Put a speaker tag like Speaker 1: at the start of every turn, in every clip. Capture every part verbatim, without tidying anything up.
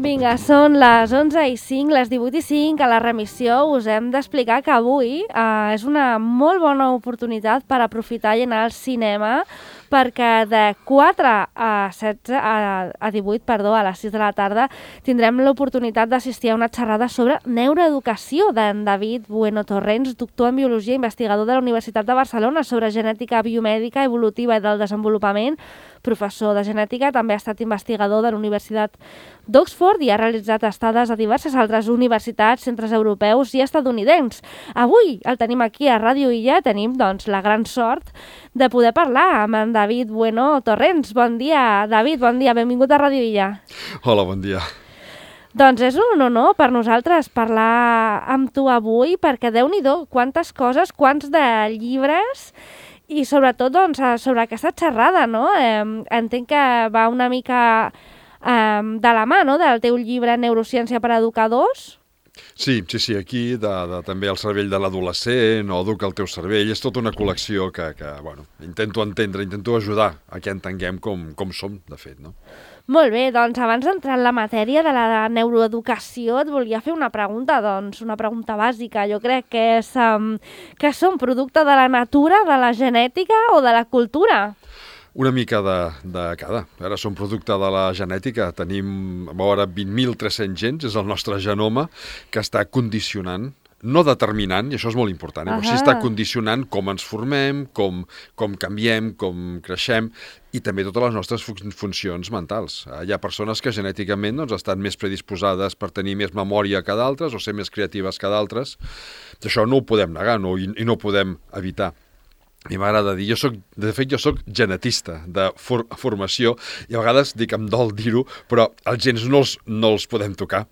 Speaker 1: Vinga, són les onze i cinc, les divuit i cinc. A la remissió us hem d'explicar que avui eh, és una molt bona oportunitat per aprofitar i anar al cinema, perquè de quatre a setze, a, a divuit, perdó, a les sis de la tarda, tindrem l'oportunitat d'assistir a una xerrada sobre neuroeducació d'en David Bueno Torrents, doctor en biologia i investigador de la Universitat de Barcelona, sobre genètica biomèdica, evolutiva i del desenvolupament, professor de genètica, també ha estat investigador de la Universitat d'Oxford i ha realitzat estades a diverses altres universitats, centres europeus i estadounidencs. Avui el tenim aquí a Ràdio Illa, tenim doncs la gran sort de poder parlar amb en David Bueno Torrents. Bon dia, David, bon dia, benvingut a Ràdio Illa.
Speaker 2: Hola, bon dia.
Speaker 1: Doncs és un honor per nosaltres parlar amb tu avui, perquè Déu-n'hi-do, quantes coses, quants de llibres i sobretot doncs, sobre aquesta xerrada, no? Eh, entenc que va una mica eh, de la mà, no?, del teu llibre Neurociència per a educadors.
Speaker 2: Sí, sí, sí, aquí de, de, també el cervell de l'adolescent o Educa el teu cervell, és tota una col·lecció que, que bueno, intento entendre, intento ajudar a que entenguem com, com som, de fet, no?
Speaker 1: Molt bé, doncs abans d'entrar en la matèria de la neuroeducació et volia fer una pregunta, doncs, una pregunta bàsica. Jo crec que és um, que són producte de la natura, de la genètica o de la cultura?
Speaker 2: Una mica de, de cada. Ara som producte de la genètica, tenim a veure vint mil tres-cents gens, és el nostre genoma, que està condicionant, no determinant, i això és molt important, eh? Però sí està condicionant com ens formem, com, com canviem, com creixem, i també totes les nostres fun funcions mentals. Hi ha persones que genèticament doncs, estan més predisposades per tenir més memòria que d'altres o ser més creatives que d'altres. Això no ho podem negar no? I, i no ho podem evitar. A mi m'agrada dir, jo soc, de fet jo soc genetista de for formació i a vegades dic em dol dir-ho, però els gens no els, no els podem tocar.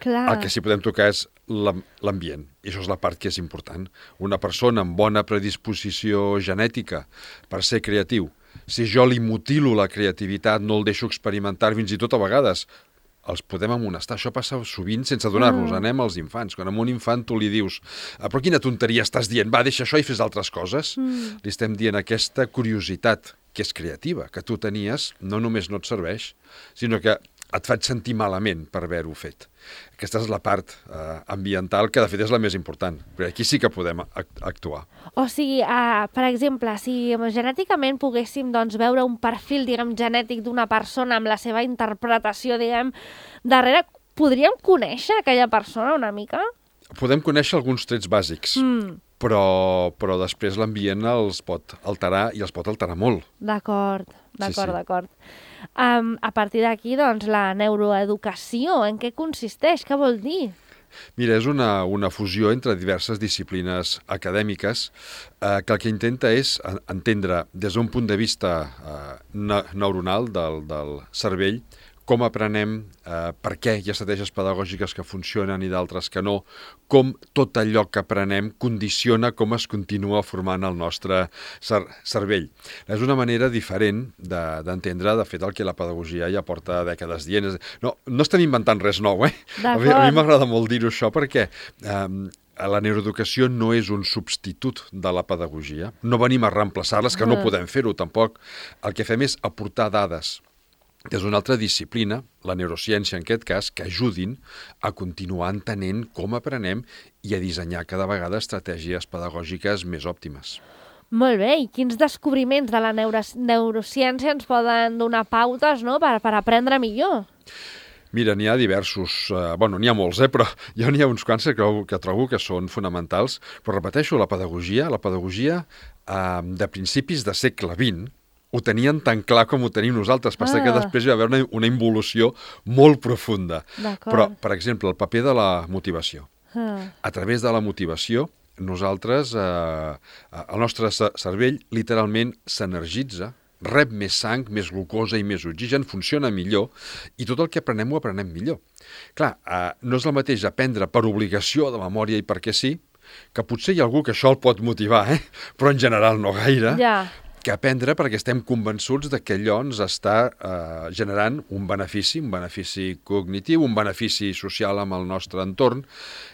Speaker 1: Clar.
Speaker 2: El que sí podem tocar és l'ambient, i això és la part que és important. Una persona amb bona predisposició genètica per ser creatiu, si jo li mutilo la creativitat, no el deixo experimentar, fins i tot a vegades els podem amonestar. Això passa sovint sense adonar-nos. Mm. Anem als infants. Quan a un infant tu li dius però quina tonteria estàs dient? Va, deixa això i fes altres coses. Mm. Li estem dient aquesta curiositat que és creativa, que tu tenies, no només no et serveix, sinó que et faig sentir malament per haver-ho fet. Aquesta és la part eh, ambiental, que de fet és la més important, perquè aquí sí que podem actuar.
Speaker 1: O sigui, uh, per exemple, si genèticament poguéssim doncs, veure un perfil, diguem, genètic d'una persona amb la seva interpretació, diguem, darrere, podríem conèixer aquella persona una mica?
Speaker 2: Podem conèixer alguns trets bàsics, mm. però, però després l'ambient els pot alterar i els pot alterar molt.
Speaker 1: D'acord, d'acord,
Speaker 2: sí, sí.
Speaker 1: d'acord. Um, a partir d'aquí, doncs, la neuroeducació, en què consisteix? Què vol dir?
Speaker 2: Mira, és una, una fusió entre diverses disciplines acadèmiques eh, que el que intenta és entendre des d'un punt de vista eh, neuronal del, del cervell com aprenem, eh, per què hi ha estratègies pedagògiques que funcionen i d'altres que no, com tot allò que aprenem condiciona com es continua formant el nostre cer cervell. És una manera diferent d'entendre, de, de fet, el que la pedagogia ja porta dècades dient. No, no estem inventant res nou, eh? A mi, a mi m'agrada molt dir-ho això perquè eh, la neuroeducació no és un substitut de la pedagogia. No venim a reemplaçar-les, que no podem fer-ho tampoc. El que fem és aportar dades des d'una altra disciplina, la neurociència en aquest cas, que ajudin a continuar entenent com aprenem i a dissenyar cada vegada estratègies pedagògiques més òptimes.
Speaker 1: Molt bé, i quins descobriments de la neuro neurociència ens poden donar pautes, no?, per, per aprendre millor?
Speaker 2: Mira, n'hi ha diversos, eh, bueno, n'hi ha molts, eh, però jo n'hi ha uns quants que, que trobo que són fonamentals, però repeteixo, la pedagogia, la pedagogia eh, de principis de segle vint, ho tenien tan clar com ho tenim nosaltres. Passa ah. que després hi va haver una, una involució molt profunda. Però, per exemple, el paper de la motivació. Ah. A través de la motivació, nosaltres, eh, el nostre cervell literalment s'energitza, rep més sang, més glucosa i més oxigen, funciona millor, i tot el que aprenem ho aprenem millor. Clar, eh, no és el mateix aprendre per obligació de memòria i perquè sí, que potser hi ha algú que això el pot motivar, eh? Però en general no gaire.
Speaker 1: Ja.
Speaker 2: Que aprendre perquè estem convençuts de que allò ens està eh, generant un benefici, un benefici cognitiu, un benefici social amb el nostre entorn,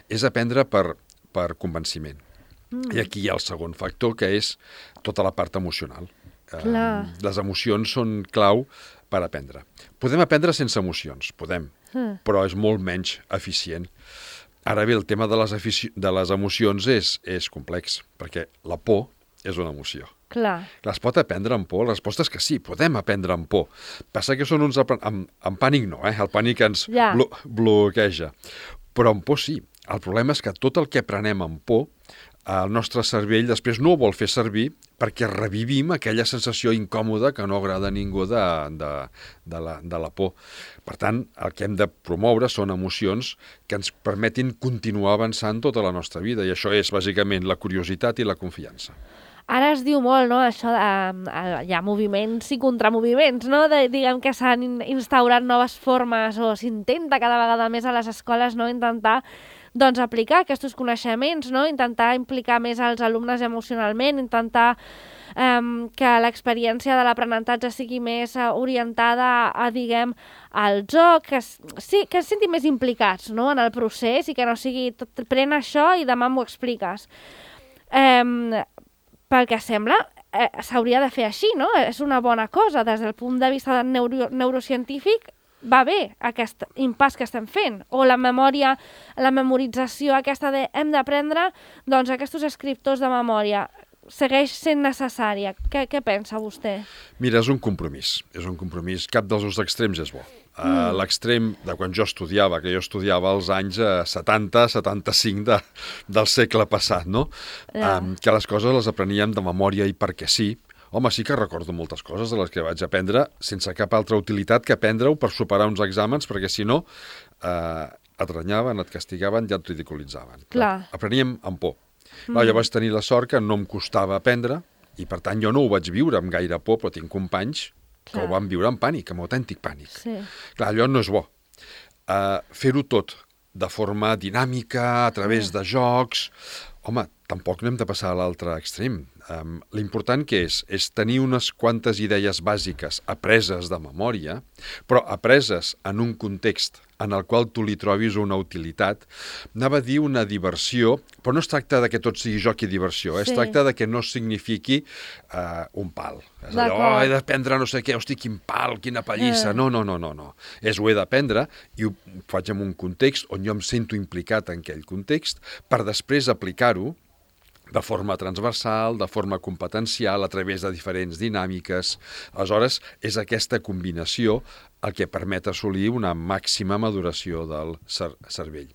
Speaker 2: és aprendre per, per convenciment. Mm. I aquí hi ha el segon factor, que és tota la part emocional. Eh, les emocions són clau per aprendre. Podem aprendre sense emocions, podem.
Speaker 1: Mm.
Speaker 2: però és molt menys eficient. Ara bé, el tema de les, de les emocions és, és complex, perquè la por és una emoció.
Speaker 1: Clar.
Speaker 2: Clar, es pot aprendre amb por? La resposta és que sí, podem aprendre amb por. Passa que són uns... Amb, amb pànic no, eh? El pànic ens
Speaker 1: Ja.
Speaker 2: blo bloqueja. Però amb por sí. El problema és que tot el que aprenem amb por, el nostre cervell després no ho vol fer servir perquè revivim aquella sensació incòmoda que no agrada a ningú de, de, de, la, de la por. Per tant, el que hem de promoure són emocions que ens permetin continuar avançant tota la nostra vida, i això és bàsicament la curiositat i la confiança.
Speaker 1: Ara es diu molt, no?, això de... Uh, hi ha moviments i contramoviments, no?, de, diguem que s'han instaurat noves formes o s'intenta cada vegada més a les escoles, no?, intentar doncs aplicar aquests coneixements, no?, intentar implicar més als alumnes emocionalment, intentar um, que l'experiència de l'aprenentatge sigui més uh, orientada a, diguem, al joc, que, sí, que es sentin més implicats, no?, en el procés, i que no sigui tot, pren això i demà m'ho expliques. Um, pel que sembla, eh, s'hauria de fer així, no? És una bona cosa. Des del punt de vista neuro neurocientífic, va bé aquest impàs que estem fent. O la memòria, la memorització aquesta de hem d'aprendre, doncs aquests escriptors de memòria segueix sent necessària. Què, què pensa vostè?
Speaker 2: Mira, és un compromís. És un compromís. Cap dels dos extrems és bo. Mm. Uh, L'extrem de quan jo estudiava, que jo estudiava als anys uh, setanta setanta-cinc de, del segle passat, no?
Speaker 1: Yeah.
Speaker 2: Um, que les coses les apreníem de memòria i perquè sí. Home, sí que recordo moltes coses de les que vaig aprendre sense cap altra utilitat que aprendre-ho per superar uns exàmens, perquè si no uh, et renyaven, et castigaven i et ridiculitzaven.
Speaker 1: Clar.
Speaker 2: Apreníem amb por.
Speaker 1: Mm.
Speaker 2: Clar, jo vaig tenir la sort que no em costava aprendre i, per tant, jo no ho vaig viure amb gaire por, però tinc companys que
Speaker 1: Clar.
Speaker 2: ho van viure amb pànic, amb autèntic pànic.
Speaker 1: Sí.
Speaker 2: Clar, allò no és bo. Uh, Fer-ho tot de forma dinàmica, a través
Speaker 1: Mm.
Speaker 2: de jocs... Home, tampoc no hem de passar a l'altre extrem. Um, L'important que és, és tenir unes quantes idees bàsiques apreses de memòria, però apreses en un context en el qual tu li trobis una utilitat. Anava a dir una diversió, però no es tracta de que tot sigui joc i diversió, eh?
Speaker 1: Sí.
Speaker 2: Es tracta de que no signifiqui uh, un pal. És allò, oh, he d'aprendre no sé què, hosti, quin pal, quina pallissa.
Speaker 1: Eh.
Speaker 2: No, no, no, no, no. És ho he d'aprendre i ho faig en un context on jo em sento implicat en aquell context per després aplicar-ho de forma transversal, de forma competencial, a través de diferents dinàmiques. Aleshores, és aquesta combinació el que permet assolir una màxima maduració del cer cervell.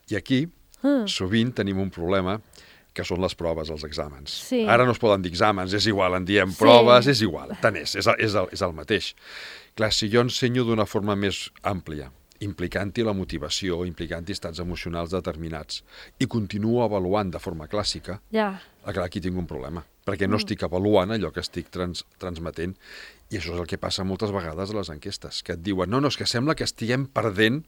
Speaker 2: I aquí,
Speaker 1: Mm.
Speaker 2: sovint tenim un problema, que són les proves, els exàmens.
Speaker 1: Sí.
Speaker 2: Ara no es poden dir exàmens, és igual, en diem
Speaker 1: Sí.
Speaker 2: proves, és igual, tant és, és, el- és, el, és el mateix. Clar, si jo ensenyo d'una forma més àmplia, implicant-hi la motivació, implicant-hi estats emocionals determinats, i continuo avaluant de forma clàssica,
Speaker 1: Ja.
Speaker 2: ah, clar, aquí tinc un problema, perquè no estic avaluant allò que estic trans transmetent, i això és el que passa moltes vegades a les enquestes, que et diuen, no, no, és que sembla que estiguem perdent.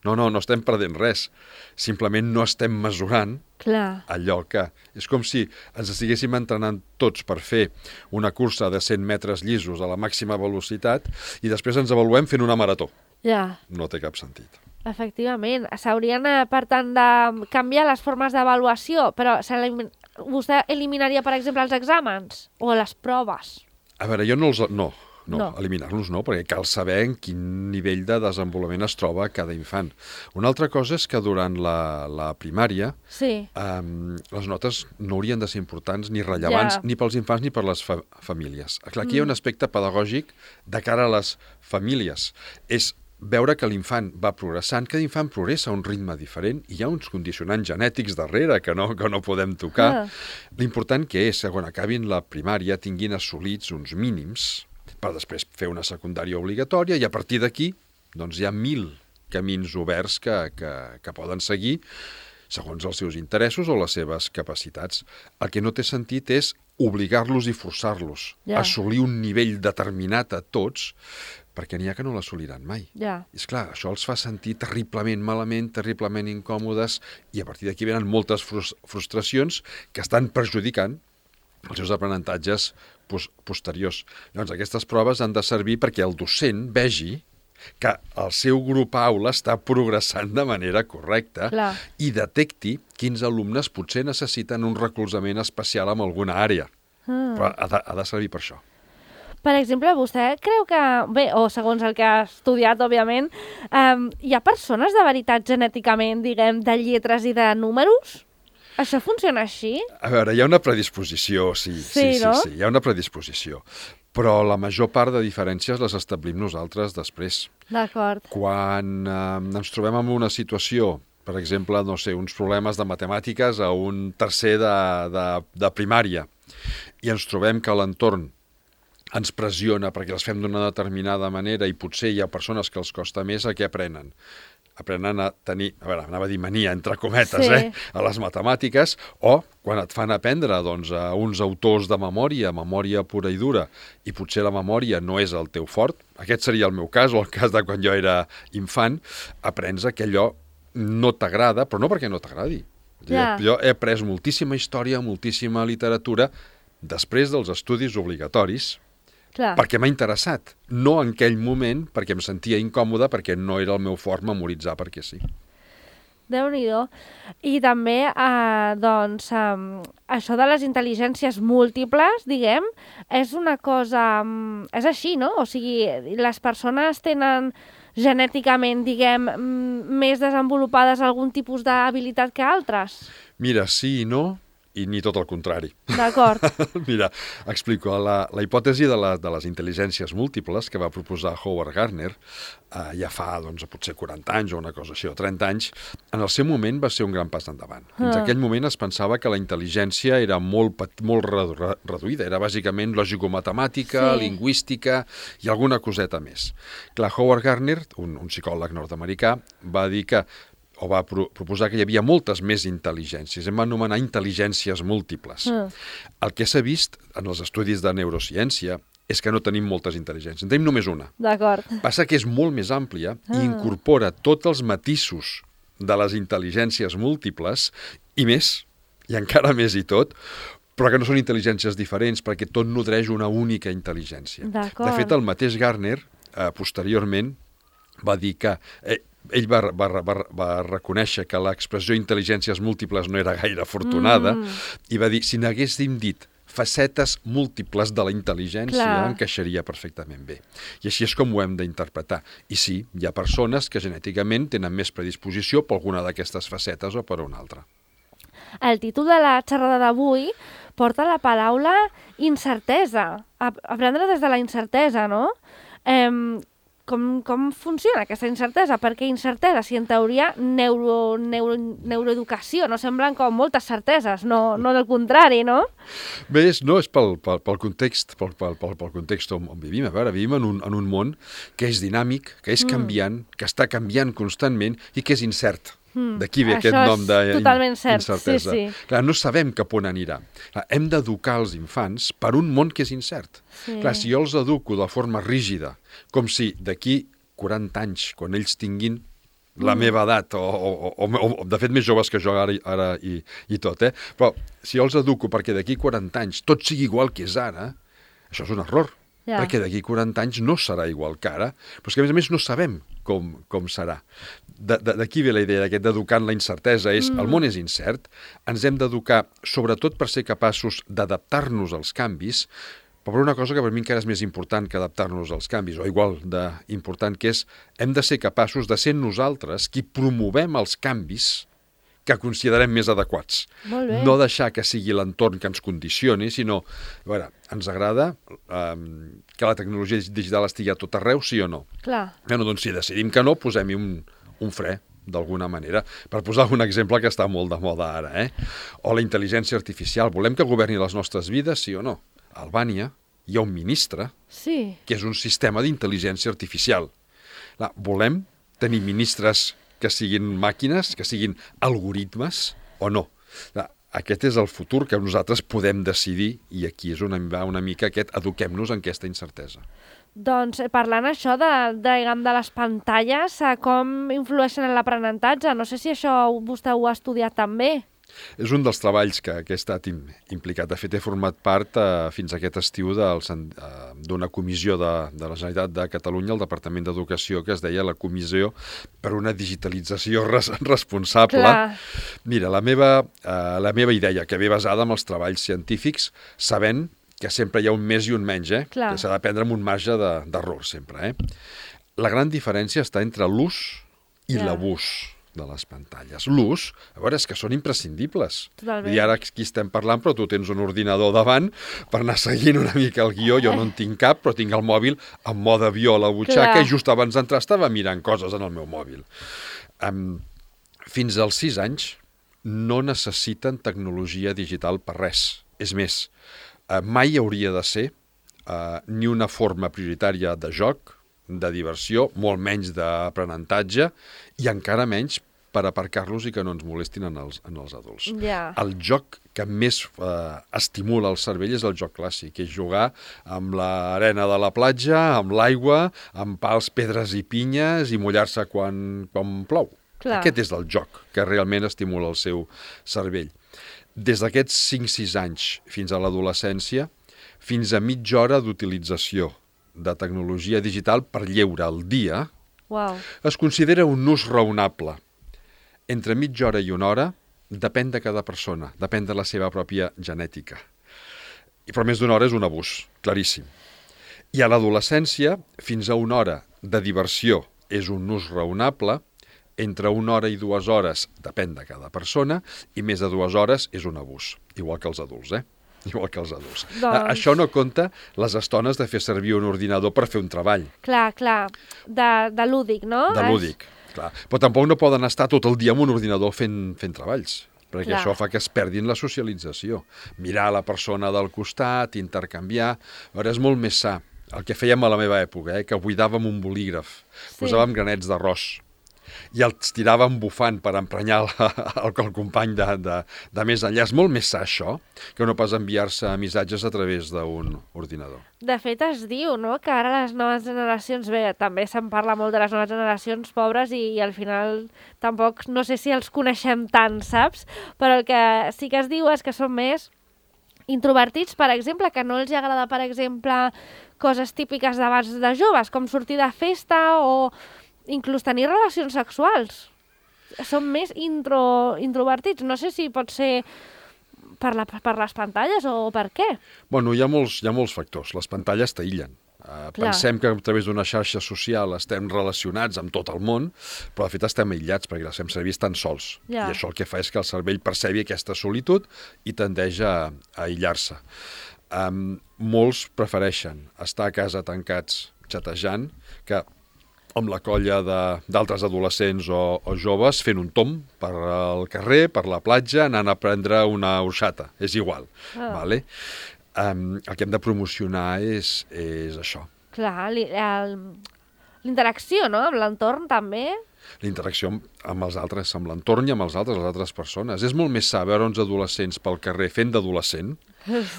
Speaker 2: No, no, no estem perdent res, simplement no estem mesurant
Speaker 1: Clar.
Speaker 2: allò que... És com si ens estiguéssim entrenant tots per fer una cursa de cent metres llisos a la màxima velocitat i després ens avaluem fent una marató.
Speaker 1: Ja.
Speaker 2: No té cap sentit.
Speaker 1: Efectivament. S'haurien, eh, per tant, de canviar les formes d'avaluació, però s'elimin- vostè eliminaria, per exemple, els exàmens o les proves?
Speaker 2: A veure, jo no els... No, no,
Speaker 1: No.
Speaker 2: no. eliminar-los no, perquè cal saber en quin nivell de desenvolupament es troba cada infant. Una altra cosa és que durant la, la primària
Speaker 1: Sí.
Speaker 2: um, les notes no haurien de ser importants ni rellevants
Speaker 1: Ja.
Speaker 2: ni pels infants ni per les fa famílies. Clar, aquí mm. hi ha un aspecte pedagògic de cara a les famílies. És veure que l'infant va progressant, cada infant progressa a un ritme diferent i hi ha uns condicionants genètics darrere que no, que no podem tocar.
Speaker 1: Ah.
Speaker 2: L'important que és que quan acabin la primària tinguin assolits uns mínims per després fer una secundària obligatòria i a partir d'aquí doncs hi ha mil camins oberts que, que, que poden seguir segons els seus interessos o les seves capacitats. El que no té sentit és obligar-los i forçar-los
Speaker 1: Ja.
Speaker 2: a assolir un nivell determinat a tots, perquè n'hi ha que no l'assoliran mai.
Speaker 1: Ja.
Speaker 2: I és clar, això els fa sentir terriblement malament, terriblement incòmodes, i a partir d'aquí venen moltes frus frustracions que estan perjudicant els seus aprenentatges pos posteriors. Llavors, aquestes proves han de servir perquè el docent vegi que el seu grup aula està progressant de manera correcta
Speaker 1: Clar.
Speaker 2: i detecti quins alumnes potser necessiten un recolzament especial en alguna àrea.
Speaker 1: Mm.
Speaker 2: Però ha de, ha de servir per això.
Speaker 1: Per exemple, vostè creu que, bé, o segons el que ha estudiat, òbviament, um, hi ha persones de veritat genèticament, diguem, de lletres i de números? Això funciona així?
Speaker 2: A veure, hi ha una predisposició, sí, sí, sí,
Speaker 1: no?
Speaker 2: sí, hi ha una predisposició. Però la major part de diferències les establim nosaltres després.
Speaker 1: D'acord.
Speaker 2: Quan eh, ens trobem en una situació, per exemple, no sé, uns problemes de matemàtiques a un tercer de, de, de primària, i ens trobem que l'entorn ens pressiona perquè els fem d'una determinada manera i potser hi ha persones que els costa més a què aprenen. Aprenen a tenir, a veure, anava a dir mania, entre cometes,
Speaker 1: sí.
Speaker 2: eh, a les matemàtiques, o quan et fan aprendre doncs, a uns autors de memòria, memòria pura i dura, i potser la memòria no és el teu fort, aquest seria el meu cas, o el cas de quan jo era infant, aprens que allò no t'agrada, però no perquè no t'agradi.
Speaker 1: Ja.
Speaker 2: Jo he après moltíssima història, moltíssima literatura, després dels estudis obligatoris,
Speaker 1: Clar.
Speaker 2: perquè m'ha interessat, no en aquell moment perquè em sentia incòmode, perquè no era el meu fort memoritzar perquè sí.
Speaker 1: Déu-n'hi-do. I també, eh, doncs, eh, això de les intel·ligències múltiples, diguem, és una cosa... És així, no? O sigui, les persones tenen genèticament, diguem, més desenvolupades algun tipus d'habilitat que altres?
Speaker 2: Mira, sí i no, i ni tot el contrari.
Speaker 1: D'acord.
Speaker 2: Mira, explico. La, la hipòtesi de, la, de les intel·ligències múltiples que va proposar Howard Gardner eh, ja fa doncs, potser quaranta anys o una cosa així, o trenta anys, en el seu moment va ser un gran pas endavant. Fins
Speaker 1: Ah.
Speaker 2: aquell moment es pensava que la intel·ligència era molt, pet- molt redu- reduïda, era bàsicament lògico-matemàtica,
Speaker 1: Sí.
Speaker 2: lingüística i alguna coseta més. Clar, Howard Gardner, un, un psicòleg nord-americà, va dir que o va pro proposar que hi havia moltes més intel·ligències. Em va anomenar intel·ligències múltiples.
Speaker 1: Ah.
Speaker 2: El que s'ha vist en els estudis de neurociència és que no tenim moltes intel·ligències, en tenim només una.
Speaker 1: D'acord.
Speaker 2: Passa que és molt més àmplia i
Speaker 1: Ah.
Speaker 2: incorpora tots els matisos de les intel·ligències múltiples i més, i encara més i tot, però que no són intel·ligències diferents perquè tot nodreix una única intel·ligència.
Speaker 1: D'acord.
Speaker 2: De fet, el mateix Gardner, eh, posteriorment, va dir que... Eh, ell va, va, va, va reconèixer que l'expressió intel·ligències múltiples no era gaire afortunada
Speaker 1: Mm.
Speaker 2: i va dir, si n'haguéssim dit facetes múltiples de la intel·ligència,
Speaker 1: Clar.
Speaker 2: encaixaria perfectament bé. I així és com ho hem d'interpretar. I sí, hi ha persones que genèticament tenen més predisposició per alguna d'aquestes facetes o per una altra.
Speaker 1: El títol de la xerrada d'avui porta la paraula incertesa. Ap- Aprendre des de la incertesa, no? Eh, com, com funciona aquesta incertesa? Per què incertesa? Si en teoria neuro, neuro, neuroeducació no semblen com moltes certeses, no, no del contrari, no?
Speaker 2: Bé, és, no, és pel, pel, pel context, pel, pel, pel, pel context on, on vivim. A veure, vivim en un, en un món que és dinàmic, que és canviant, que està canviant constantment i que és incert.
Speaker 1: Mm.
Speaker 2: D'aquí ve
Speaker 1: Això
Speaker 2: aquest nom
Speaker 1: és
Speaker 2: d'incertesa.
Speaker 1: totalment cert, sí, sí.
Speaker 2: Clar, no sabem cap on anirà. Clar, hem d'educar els infants per un món que és incert.
Speaker 1: Sí.
Speaker 2: Clar, si jo els educo de forma rígida, com si d'aquí quaranta anys, quan ells tinguin la
Speaker 1: Mm.
Speaker 2: meva edat, o, o, o, o de fet més joves que jo ara, ara i, i tot, eh? Però si jo els educo perquè d'aquí quaranta anys tot sigui igual que és ara, això és un error.
Speaker 1: Ja.
Speaker 2: Perquè d'aquí quaranta anys no serà igual que ara, però és que a més a més no sabem com, com serà. D'aquí ve la idea d'aquest d'educar en la incertesa, és, mm. el món és incert, ens hem d'educar sobretot per ser capaços d'adaptar-nos als canvis, però per una cosa que per mi encara és més important que adaptar-nos als canvis, o igual d'important, que és, hem de ser capaços de ser nosaltres qui promovem els canvis que considerem més adequats.
Speaker 1: Molt bé.
Speaker 2: No deixar que sigui l'entorn que ens condicioni, sinó, a veure, ens agrada um, que la tecnologia digital estigui a tot arreu, sí o no?
Speaker 1: Clar.
Speaker 2: Bueno, doncs si decidim que no, posem-hi un, un fre, d'alguna manera, per posar un exemple que està molt de moda ara, eh? O la intel·ligència artificial. Volem que governi les nostres vides, sí o no? A Albània hi ha un ministre
Speaker 1: Sí.
Speaker 2: que és un sistema d'intel·ligència artificial. Clar, volem tenir ministres que siguin màquines, que siguin algoritmes o no. Clar, aquest és el futur que nosaltres podem decidir i aquí és on va una mica aquest eduquem-nos en aquesta incertesa.
Speaker 1: Doncs eh, parlant això de, de, diguem, de les pantalles, eh, com influeixen en l'aprenentatge? No sé si això vostè ho ha estudiat també.
Speaker 2: És un dels treballs que, que he estat im, implicat. De fet, he format part eh, fins aquest estiu del, eh, d'una comissió de, de la Generalitat de Catalunya, el Departament d'Educació, que es deia la Comissió per una digitalització res, responsable.
Speaker 1: Clar.
Speaker 2: Mira, la meva, eh, la meva idea, que ve basada en els treballs científics, sabent que sempre hi ha un més i un menys, eh?
Speaker 1: Clar.
Speaker 2: Que s'ha de prendre amb un marge d'error sempre, eh? La gran diferència està entre l'ús i
Speaker 1: Ja.
Speaker 2: l'abús de les pantalles. L'ús, a veure, és que són imprescindibles.
Speaker 1: Totalment.
Speaker 2: I ara aquí estem parlant, però tu tens un ordinador davant per anar seguint una mica el guió. Jo no en tinc cap, però tinc el mòbil en mode avió a la butxaca.
Speaker 1: Clar.
Speaker 2: I just abans d'entrar estava mirant coses en el meu mòbil. Um, fins als sis anys no necessiten tecnologia digital per res. És més, uh, mai hauria de ser uh, ni una forma prioritària de joc, de diversió, molt menys d'aprenentatge i encara menys per aparcar-los i que no ens molestin en els, en els adults.
Speaker 1: Ja.
Speaker 2: El joc que més eh, estimula el cervell és el joc clàssic, és jugar amb l'arena de la platja, amb l'aigua, amb pals, pedres i pinyes i mullar-se quan, quan plou.
Speaker 1: Clar.
Speaker 2: Aquest és el joc que realment estimula el seu cervell. Des d'aquests cinc sis anys fins a l'adolescència, fins a mitja hora d'utilització de tecnologia digital per lleure al dia,
Speaker 1: Uau.
Speaker 2: es considera un ús raonable. Entre mitja hora i una hora depèn de cada persona, depèn de la seva pròpia genètica. I però més d'una hora és un abús, claríssim. I a l'adolescència, fins a una hora de diversió és un ús raonable, entre una hora i dues hores depèn de cada persona, i més de dues hores és un abús, igual que els adults, eh? Igual que els adults.
Speaker 1: Doncs...
Speaker 2: Això no compta les estones de fer servir un ordinador per fer un treball.
Speaker 1: Clar, clar, de, de lúdic, no?
Speaker 2: De lúdic, clar. Però tampoc no poden estar tot el dia amb un ordinador fent, fent treballs, perquè
Speaker 1: Clar.
Speaker 2: això fa que es perdin la socialització. Mirar la persona del costat, intercanviar... A veure, és molt més sa. El que fèiem a la meva època, eh, que buidàvem un bolígraf,
Speaker 1: Sí.
Speaker 2: posàvem granets d'arròs, i els tiràvem bufant per emprenyar el, el, el company de, de, de més enllà. És molt més sa això que no pas enviar-se missatges a través d'un ordinador.
Speaker 1: De fet, es diu, no?, que ara les noves generacions, bé, també se'n parla molt de les noves generacions pobres i, i al final tampoc, no sé si els coneixem tant, saps? Però el que sí que es diu és que són més introvertits, per exemple, que no els agrada, per exemple, coses típiques d'abans de joves, com sortir de festa o inclús tenir relacions sexuals. Són més intro, introvertits. No sé si pot ser per, la, per les pantalles o per què.
Speaker 2: Bueno, hi ha molts, hi ha molts factors. Les pantalles t'aïllen. Uh, pensem que a través d'una xarxa social estem relacionats amb tot el món, però de fet estem aïllats perquè les fem servir tan sols.
Speaker 1: Ja.
Speaker 2: I això el que fa és que el cervell percebi aquesta solitud i tendeix a, a aïllar-se. Um, molts prefereixen estar a casa tancats xatejant que amb la colla d'altres adolescents o, o joves fent un tom per al carrer, per la platja, anant a prendre una orxata. És igual.
Speaker 1: Ah.
Speaker 2: Vale? Um, el que hem de promocionar és, és això.
Speaker 1: Clar, li- el- l'interacció, no?, amb l'entorn també.
Speaker 2: La interacció amb, amb els altres, amb l'entorn i amb els altres, les altres persones. És molt més sa veure uns adolescents pel carrer fent d'adolescent.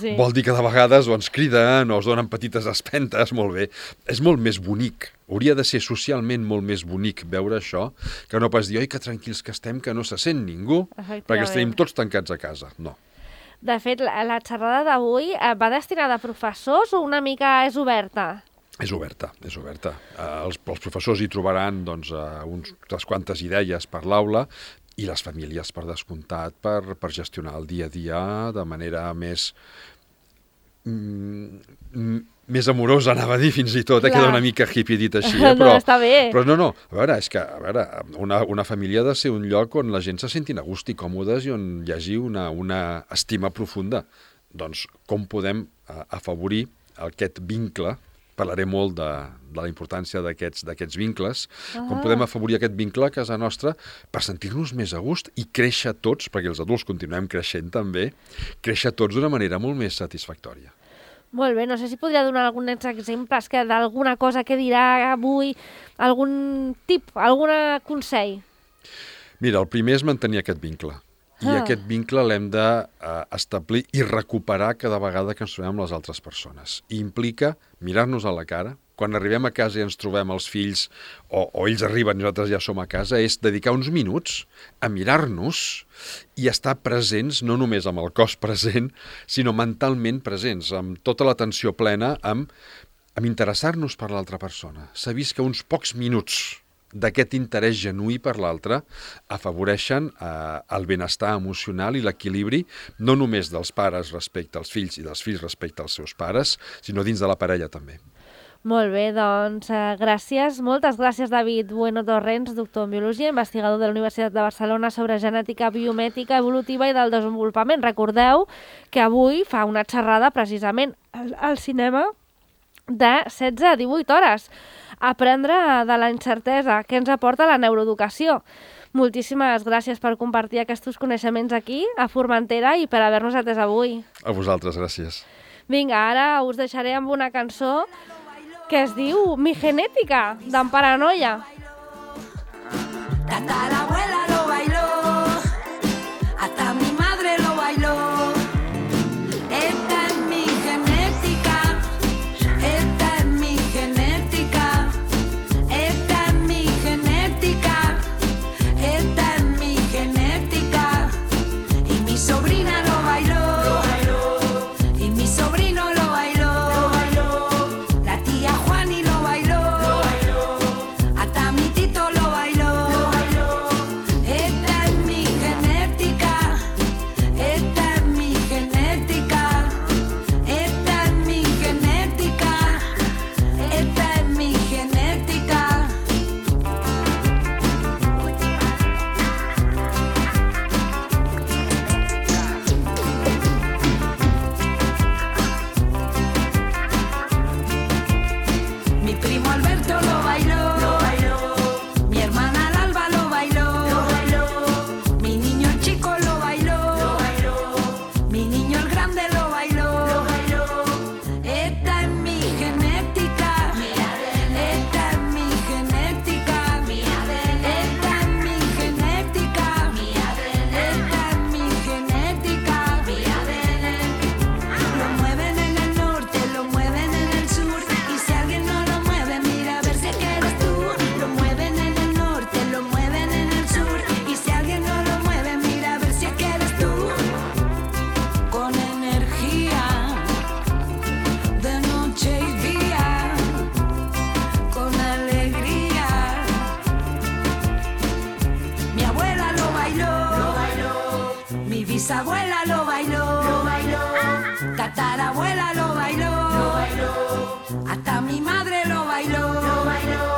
Speaker 1: Sí.
Speaker 2: Vol dir que de vegades o ens criden o es donen petites espentes, molt bé. És molt més bonic. Hauria de ser socialment molt més bonic veure això que no pas dir, oi, que tranquils que estem, que no se sent ningú,
Speaker 1: Efectivament.
Speaker 2: perquè els tenim tots tancats a casa. No.
Speaker 1: De fet, la, la xerrada d'avui eh, va destinada a professors o una mica és oberta?
Speaker 2: És oberta, és oberta. Eh, els, els professors hi trobaran doncs, eh, uns, unes quantes idees per l'aula i les famílies, per descomptat, per, per gestionar el dia a dia de manera més... Mm, més amorosa, anava a dir fins i tot, eh?
Speaker 1: Clar.
Speaker 2: Queda una mica hippie dit així,
Speaker 1: No,
Speaker 2: eh? però,
Speaker 1: està bé.
Speaker 2: però no, no, a veure, és que a veure, una, una família ha de ser un lloc on la gent se sentin a gust i còmodes i on hi hagi una, una estima profunda. Doncs com podem eh, afavorir aquest vincle, parlaré molt de, de la importància d'aquests d'aquests vincles,
Speaker 1: Ah.
Speaker 2: com podem afavorir aquest vincle a casa nostra per sentir-nos més a gust i créixer tots, perquè els adults continuem creixent també, créixer tots d'una manera molt més satisfactòria.
Speaker 1: Molt bé, no sé si podria donar alguns exemples que d'alguna cosa que dirà avui, algun tip, algun consell.
Speaker 2: Mira, el primer és mantenir aquest vincle. I
Speaker 1: Ah.
Speaker 2: aquest vincle l'hem d'establir i recuperar cada vegada que ens trobem amb les altres persones. I implica mirar-nos a la cara. Quan arribem a casa i ens trobem els fills, o, o ells arriben i nosaltres ja som a casa, és dedicar uns minuts a mirar-nos i estar presents, no només amb el cos present, sinó mentalment presents, amb tota l'atenció plena, amb, amb interessar-nos per l'altra persona. S'ha vist que uns pocs minuts d'aquest interès genuí per l'altre afavoreixen eh, el benestar emocional i l'equilibri no només dels pares respecte als fills i dels fills respecte als seus pares, sinó dins de la parella també.
Speaker 1: Molt bé, doncs eh, gràcies. Moltes gràcies, David Bueno Torrents, doctor en Biologia, investigador de la Universitat de Barcelona sobre genètica biomètrica evolutiva i del desenvolupament. Recordeu que avui fa una xerrada precisament al, al cinema de setze a divuit hores. Aprendre de la incertesa que ens aporta la neuroeducació. Moltíssimes gràcies per compartir aquests coneixements aquí, a Formentera, i per haver-nos atès avui.
Speaker 2: A vosaltres, gràcies.
Speaker 1: Vinga, ara us deixaré amb una cançó que es diu Mi Genética, d'en Paranoia.
Speaker 3: Hasta la abuela lo bailó, hasta mi madre lo bailó. Esta es mi genética, esta es mi genética, esta es mi genética, esta es mi genética. Y mi sobrina lo bailó, y mi sobrino lo bailó, la tía Juani lo bailó, hasta mi tito lo bailó. Esta es mi genética, esta es mi genética, esta es mi genética, esta es mi genética. Mi primo Alberto lo bailó, mi hermana Alba lo bailó, mi niño el chico lo bailó, mi niño el grande lo bailó. Esta es mi genética, esta es mi genética, esta es mi genética, esta es mi genética. Lo mueven en el norte, lo mueven en el sur, y si alguien no lo mueve, mira a ver si es que eres tú. Lo mueven en el norte, lo mueven en el sur, y si alguien no lo mueve, mira a ver si es que eres tú. Con energía, de noche y día, con alegría. Mi abuela lo bailó, mi bisabuela lo bailó, tatarabuela lo bailó, hasta mi madre lo bailó.